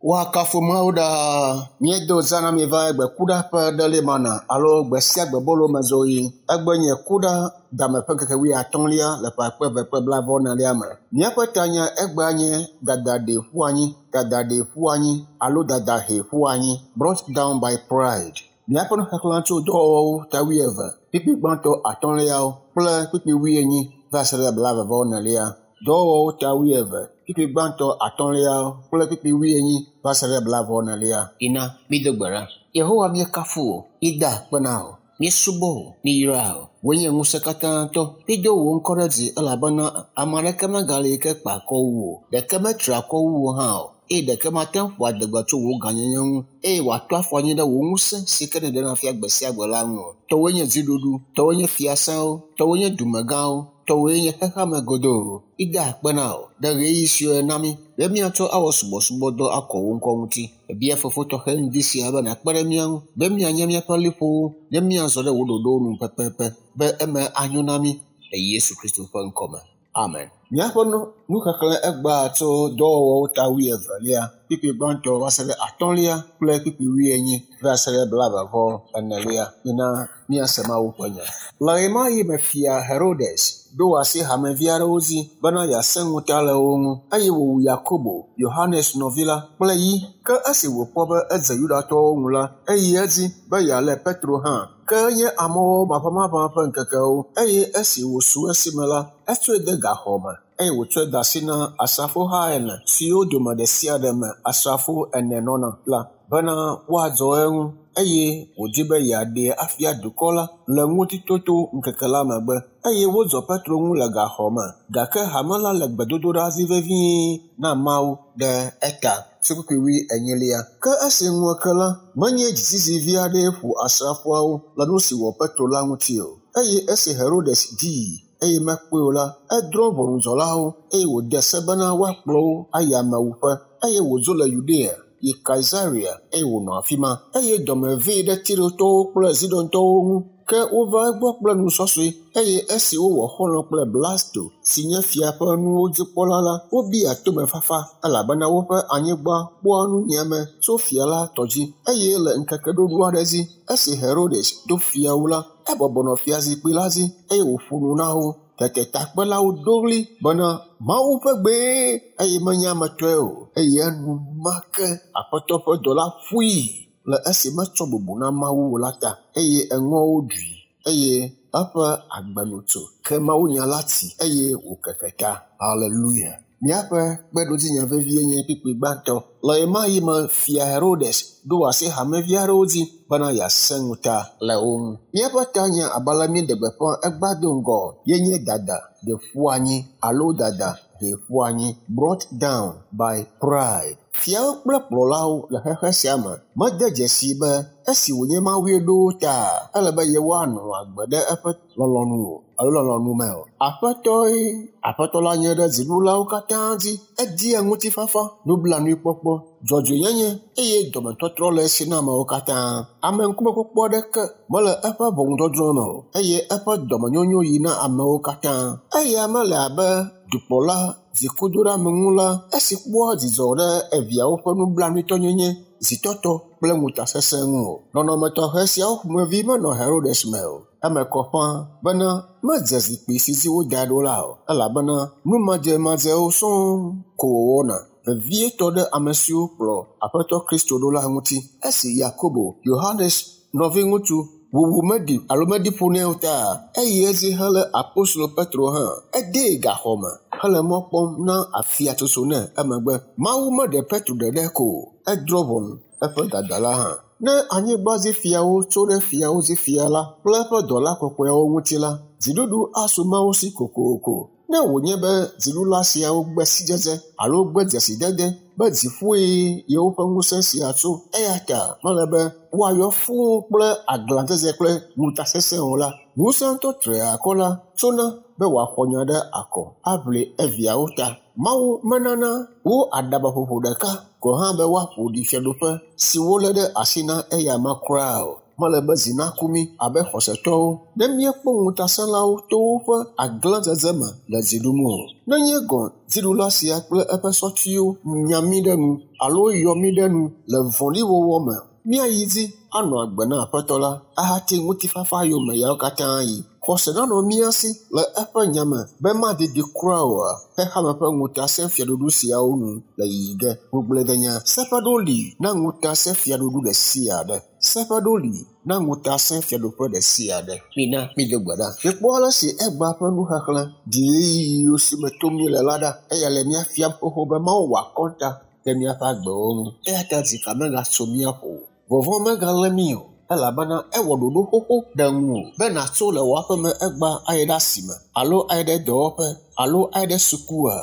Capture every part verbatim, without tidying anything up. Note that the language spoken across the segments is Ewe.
Woakafu Mawu ɖaa. Míedo zã na mi va egbe kuɖa ƒe ɖe mana alo gbe sia gbe bolo me zoɣi. Egbe nye kuɖa dame ƒe ŋkeke wuiatɔ̃lia le ƒe akpe eve kple blaeve-vɔ-enelia me. Míaƒe tanya egbea nye dada ɖee ƒu anyi, dada ɖee ƒu anyi alo dada hee ƒu anyi. Brought down by pride. Míaƒe nuxexlẽ tso dɔwɔwɔwo ta wuieve, kpukpui gbãtɔ atɔ̃liawo kple kpukpui wuienyi va se ɖe blaeve-vɔ-enelia. Dɔwɔwɔwo ta wuieve, kpukpui gbãtɔ atɔ̃liawo kple kpukpui wuienyi va se ɖe blaeve-vɔ-enelia. Ina mído gbe ɖa. Yehowa míekafu wò, míeda akpe na wò, míesubɔ wò, míyra wò. Wòe nye ŋusẽ katãtɔ. Mído wò ŋkɔ ɖe dzi elabena ame aɖeke megali yi ke kpa akɔ wu wò o. Ɖeke metri akɔ wu wò hã o. Eye ɖeke mate ŋu ƒo adegbe tso wò gãnyenye ŋu eye wòatɔ afɔ anyi ɖe wò ŋusẽ si ke nèɖena fia gbe sia gbe la ŋu o. Tɔwòe nye dziɖuɖu, tɔwòe nye fiasãwo, tɔwòe nye dumegãwo, tɔwòe nye xexeame godoo. Mída akpe na wò ɖe ɣeyiɣi siwo na mí be míatsɔ awɔ subɔsubɔdɔ akɔ wò ŋkɔ ŋuti. Ebia fofo tɔxɛ ŋdi sia be nàkpe ɖe mía ŋu be míanya míaƒe liƒowo ne míazɔ ɖe wò ɖoɖowo nu pɛpɛpɛ be eme anyo na mí le Yesu Kristo ƒe ŋkɔme. Amen. Míaƒe nuxexlẽ egbea tso dɔwɔwɔwo ta wuievelia, kpukpui gbãtɔ va se ɖe atɔ̃lia kple kpukpui wuienyi va se ɖe blaeve-vɔ-enelia. Mina míase Mawu ƒe nya. Le ɣemaɣi me fia Herodes ɖo asi hamevi aɖewo dzi bena yeasẽ ŋuta le wo ŋu eye wòwu Yakobo, Yohanes nɔvi la kple yi. Ke esi wòkpɔ be edze Yudatɔwo ŋu la, eyi edzi be yealé Petro hã. Ke enye amɔwɔ maʋamaʋã ƒe ŋkekewo eye esi wòsu esime la, etsɔe de gaxɔ me eye wòtsɔe de asi na asrafoha ene siwo dome ɖe sia ɖe me asrafo ene nɔna la bena woadzɔ eŋu eye wòdi be yeaɖee afia dukɔ la le ŋutitoto ŋkeke la megbe. Eye wodzɔ Petro ŋu le gaxɔ me gake hame la le gbedodoɖa dzi vevie na Mawu ɖe eta. Kpukpui wuienyilia. Ke esi ŋu ke la, menye dzizizi vi aɖee ƒo asrafoawo le nu si wɔ Petro la ŋuti o. Eye esi Herodes dii eye mekpɔe o la, edrɔ̃ ʋɔnudzɔlawo eye wòde se bena woakplɔ wo ayi amewuƒe eye wòdzo le Yudea yi Kaisarea eye wònɔ afi ma. Eye dɔme vee ɖe Tirotɔwo kple Zidontɔwo ŋu. Ke wova egbɔ kple nusɔsɔe eye esi wowɔ xɔlɔ̃ kple Blasto si nye fia ƒe nuwo dzikpɔla la, wobia tomefafa elabena woƒe anyigba kpɔa nunyiame tso fia la tɔ dzi. Eye le ŋkeke ɖoɖo aɖe dzi, esi Herodes do fiawo la, ebɔbɔ nɔ fiazikpui la dzi eye wòƒo nu na wo. Tete takpelawo do ɣli bena Mawu ƒe gbee eye menye ame tɔe o. Eye enumake Aƒetɔ ƒe dɔla ƒoe le esi metsɔ bubu na Mawu o la ta eye eŋɔwo ɖui eye eƒe agbe nu tso. Ke mawunya la tsi eye wòkeke ta. Hallelujah. Míaƒe kpeɖodzinya vevie nye kpukpui gbãtɔ. Le ɣemaɣi me fia Herodes ɖo asi hamevi aɖewo dzi bena yeasẽ ŋuta le wo ŋu. Míaƒe tanya abe ale míeɖe gbeƒã egbea do ŋgɔ ye nye dada ɖe ƒu anyi alo dada hee ƒu anyi. Brought down by pride. Fiawo kple kplɔlawo le xexe sia me mede dzesii be esi wònye Mawue ɖo wo ta ele be yewoanɔ agbe ɖe eƒe lɔlɔ̃nu o alo lɔlɔ̃nu me o. Aƒetɔe Aƒetɔ la nye ɖe dziɖulawo katã dzi. Edia ŋutifafa, nublanuikpɔkpɔ, dzɔdzɔenyenye eye dɔmetɔtrɔ le esi na amewo katã. Ameŋkumekpɔkpɔ aɖeke mele eƒe ʋɔnudɔdrɔ̃ me o eye eƒe dɔmenyonyo yi na amewo katã. Eya mele abe dukplɔla dzikudoɖeameŋula esi kpɔa dzidzɔ ɖe eviawo ƒe nublanuitɔnyenye, zitɔtɔ kple ŋutasesẽ ŋu o. Nɔnɔme tɔxɛ siawo ƒomevi menɔ Herodes me o. Eme kɔ ƒãa bena medze zikpui si dzi wodae ɖo la o elabena nu madzemadzewo sɔŋ ko wòwɔna vevietɔ ɖe ame siwo kplɔ Aƒetɔ Kristo ɖo la ŋuti. Esi Yakobo, Yohanes nɔviŋutsu wuwu meɖi alo meɖi ƒo nɛ o ta eyi edzi helé apostolo Petro hã. Edee gaxɔ me hele mɔ kpɔm na afiatsotso nɛ emegbe. Mawu meɖe Petro ɖeɖe ko o, edrɔ̃ ʋɔnu eƒe dada la hã. Ne anyigba dzi fiawo tso ɖe fiawo dzi fia la kple eƒe dɔla kɔkɔeawo ŋuti la, dziɖuɖu asu Mawu si kokoko. Ne wònye be dziɖula siawo gbe sidzedze alo gbe dzesidede be dziƒoe yewoƒe ŋusẽ sia tso eya ta mele be woayɔ fũu kple aglãdzedze kple ŋutasesẽ o la, ŋusẽtɔ triakɔ la tsona be wòaxɔ nya ɖe akɔ aʋli eviawo ta. Mawu menana wo aɖabaƒoƒo ɖeka gɔ̃ hã be woaƒo ɖi fiaɖuƒe si wolé ɖe asi na eyama kura o. Mele be zi naku mí abe xɔsetɔwo ne míekpɔ ŋutasẽlawo to woƒe aglãdzedze me le dzi ɖum o. Nenye gɔ̃ dziɖula sia kple eƒe sɔtiwo nya mí ɖe nu alo yɔ mí ɖe nu le vɔ̃ɖiwɔwɔ me, míayi dzi anɔ agbe na Aƒetɔ la ahati ŋutifafa yome yawo katã yi. Xɔse nanɔ mía si le eƒe nya me be madidi kura oa, xexeame ƒe ŋutasẽfiaɖuɖu siawo nu le yiyi ge. Ŋugbledenya seƒeɖo li na ŋutasẽfiaɖuɖu ɖe sia ɖe. Seƒeɖo li na ŋutasẽfiaɖuƒe ɖe sia ɖe. Mina mído gbe ɖa. Mikpɔ ale si egbea ƒe nuxexlẽ di ɣeyiɣiwo si me tom míele la ɖa. Eya le mía fiam xoxo be Mawu wɔ akɔnta ɖe míaƒe agbewo ŋu. Eya ta dzika megatso mía ƒo o. Vɔvɔ̃ megalé mí o elabena ewɔ ɖoɖo xoxo ɖe ŋuwò be nàtso le wò aƒeme egbea ayi ɖe asime alo ayi ɖe dɔwɔƒe alo ayi ɖe sukua.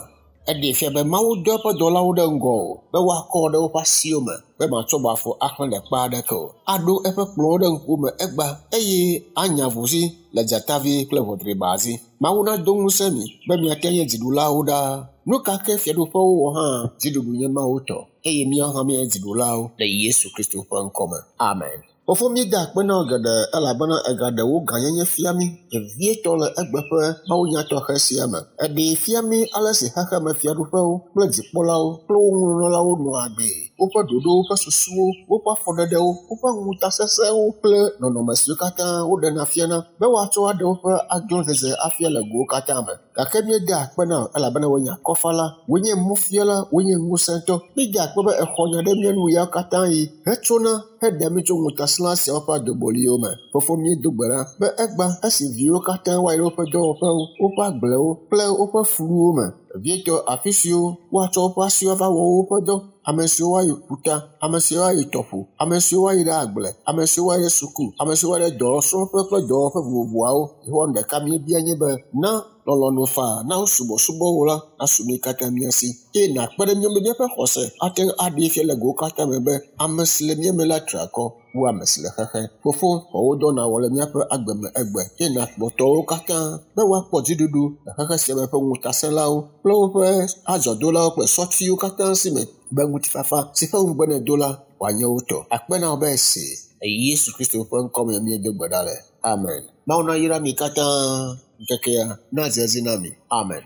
Eɖee fia be Mawu dɔ eƒe dɔlawo ɖe ŋgɔ o be woakɔ ɖe woƒe asiwo me be matsɔ wò afɔ axlẽ ɖe kpe aɖeke o. Aɖo eƒe kplɔ̃wo ɖe ŋkuwòme egbea eye anya avuzi le dzatavi kple ʋɔdriba dzi. Mawu nado ŋusẽ mi be miate nye dziɖulawo ɖaa. Nu ka ke fiaɖuƒewo wɔ hã, dziɖuɖu nye Mawu tɔ eye míawo hã míenye dziɖulawo le Yesu Kristo ƒe ŋkɔme. Amen. Fofo míeda akpe na wò geɖe elabena ègaɖe wò gãnyenye fia mí vevietɔ le egbe ƒe mawunya tɔxɛ sia me. Èɖee fia mí ale si xexeme fiaɖuƒewo kple dzikpɔlawo kple wo ŋunɔlawo nɔa agbee, woƒe ɖoɖowo ƒe susuwo, woƒe afɔɖeɖewo, woƒe ŋutasesẽwo kple nɔnɔme siwo katã woɖena fiana be woatsɔ aɖe woƒe aglãdzedze afia le gowo katã me. Gake míeda akpe na wò elabena wòe nye akɔfala, wòe nye mɔfiala, wòe nye ŋusẽtɔ. Míeda akpe be èxɔ nya ɖe mía nu yawo katã yi hetsona heɖe mí tso ŋutasẽla siawo ƒe adoboliwo me. Fofo míedo gbe ɖa be egbea esi viwo katã woayi ɖe woƒe dɔwɔƒewo, woƒe agblewo kple woƒe fluwo me, vevietɔ afi siwo woatsɔ woƒe asiwo ava wɔ woƒe dɔ, ame siwo woayi ƒuta, ame siwo woayi tɔƒo, ame siwo woayi ɖe agble, ame siwo woayi ɖe suku, ame siwo woayi ɖe dɔsrɔ̃ƒe kple dɔwɔƒe vovovoawo. Yehowa nu ɖeka míebia nye be na lɔlɔ̃nu faa na wo subɔsubɔ wò la nasu mí katã mía si eye nàkpe ɖe mía ŋu be míaƒe xɔse ate ŋu aɖee fia le gowo katã me be ame si le mía me la tri akɔ wu ame si le xexe. Fofo, xɔ wò dɔ nàwɔ le míaƒe agbe me egbe eye nàkplɔ tɔwo katã be woakpɔ dziɖuɖu le xexe sia me ƒe ŋutasẽlawo kple woƒe adzɔdolawo kple sɔtiwo katã si me be ŋutifafa si ƒe ŋugbe nèdo la wòanye wo tɔ. Akpe na wò be èsee. Le Yesu Kristo ƒe ŋkɔme míedo gbe ɖa le. Amen. Mawu nayra mi katã ŋkekea nadze edzi na mi. Amen.